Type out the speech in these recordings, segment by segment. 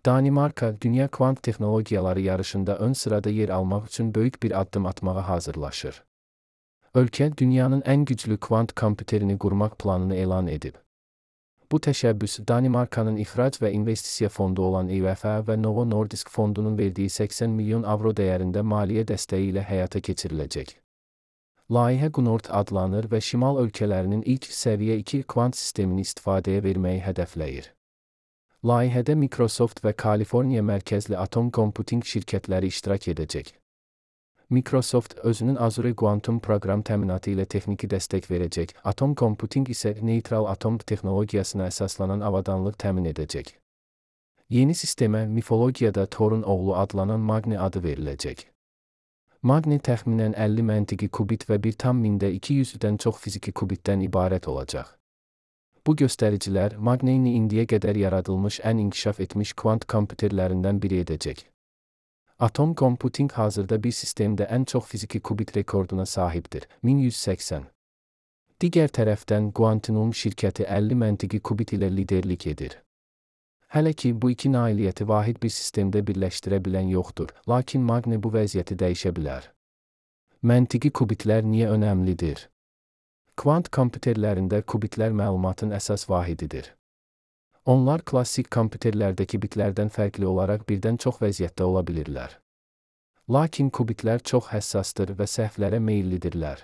Danimarka, dünya kvant texnologiyaları yarışında ön sırada yer almaq üçün böyük bir addım atmağa hazırlaşır. Ölkə, dünyanın ən güclü kvant kompüterini qurmaq planını elan edib. Bu təşəbbüs, Danimarkanın ixrac və investisiya fondu olan IWF və Novo Nordisk fondunun verdiyi 80 milyon avro dəyərində maliyyə dəstəyi ilə həyata keçiriləcək. Layihə Gunort adlanır və şimal ölkələrinin ilk səviyyə 2 kvant sistemini istifadəyə verməyi hədəfləyir. Layihədə Microsoft və Kaliforniya mərkəzli Atom Computing şirkətləri iştirak edəcək. Microsoft özünün Azure Quantum proqram təminatı ilə texniki dəstək verəcək, Atom Computing isə neytral atom texnologiyasına əsaslanan avadanlıq təmin edəcək. Yeni sistemə mifologiyada Thor'un oğlu adlanan Magni adı veriləcək. Magni təxminən 50 məntiqi kubit və 1,200-dən çox fiziki kubitdən ibarət olacaq. Bu göstəricilər Magnini indiyə qədər yaradılmış ən inkişaf etmiş kvant kompüterlərindən biri edəcək. Atom Computing hazırda bir sistemdə ən çox fiziki kubit rekorduna sahibdir, 1180. Digər tərəfdən Quantinum şirkəti 50 məntiqi kubit ilə liderlik edir. Hələ ki, bu iki nailiyyəti vahid bir sistemdə birləşdirə bilən yoxdur, lakin Magni bu vəziyyəti dəyişə bilər. Məntiqi kubitlər niyə önəmlidir? Kvant kompüterlərində kubitlər məlumatın əsas vahididir. Onlar klassik kompüterlərdəki bitlərdən fərqli olaraq birdən çox vəziyyətdə ola bilirlər. Lakin kubitlər çox həssasdır və səhvlərə meyillidirlər.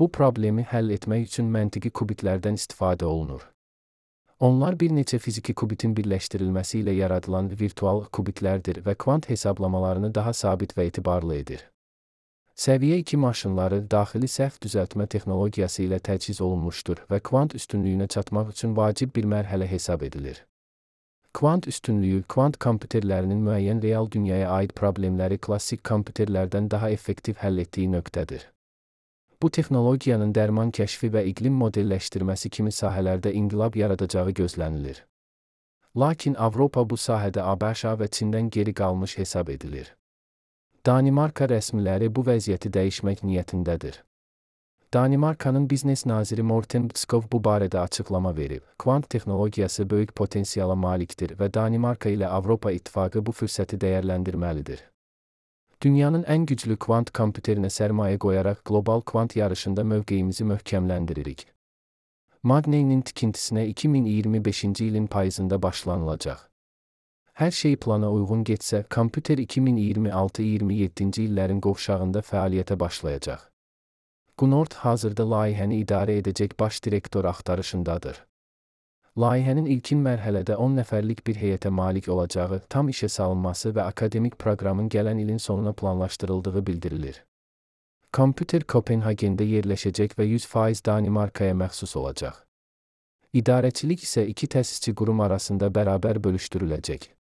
Bu problemi həll etmək üçün məntiqi kubitlərdən istifadə olunur. Onlar bir neçə fiziki kubitin birləşdirilməsi ilə yaradılan virtual kubitlərdir və kvant hesablamalarını daha sabit və etibarlı edir. Səviyyə 2 maşınları daxili səhv düzəltmə texnologiyası ilə təchiz olunmuşdur və kvant üstünlüyünə çatmaq üçün vacib bir mərhələ hesab edilir. Kvant üstünlüyü, kvant kompüterlərinin müəyyən real dünyaya aid problemləri klassik kompüterlərdən daha effektiv həll etdiyi nöqtədir. Bu texnologiyanın dərman kəşfi və iqlim modelləşdirməsi kimi sahələrdə inqilab yaradacağı gözlənilir. Lakin Avropa bu sahədə ABŞ və Çindən geri qalmış hesab edilir. Danimarka rəsmiləri bu vəziyyəti dəyişmək niyyətindədir. Danimarkanın biznes naziri Morten Bødskov bu barədə açıqlama verib. Kvant texnologiyası böyük potensiala malikdir və Danimarka ilə Avropa İttifaqı bu fürsəti dəyərləndirməlidir. Dünyanın ən güclü kvant kompüterinə sərmayə qoyaraq qlobal kvant yarışında mövqeyimizi möhkəmləndiririk. Magninin tikintisinə 2025-ci ilin payızında başlanılacaq. Hər şey plana uyğun getsə, kompüter 2026-27-ci illərin qovşağında fəaliyyətə başlayacaq. Gunort hazırda layihəni idarə edəcək baş direktor axtarışındadır. Layihənin ilkin mərhələdə 10 nəfərlik bir heyətə malik olacağı, tam işə salınması və akademik proqramın gələn ilin sonuna planlaşdırıldığı bildirilir. Kompüter Kopenhagendə yerləşəcək və 100% Danimarkaya məxsus olacaq. İdarəçilik isə iki təsisçi qurum arasında bərabər bölüşdürüləcək.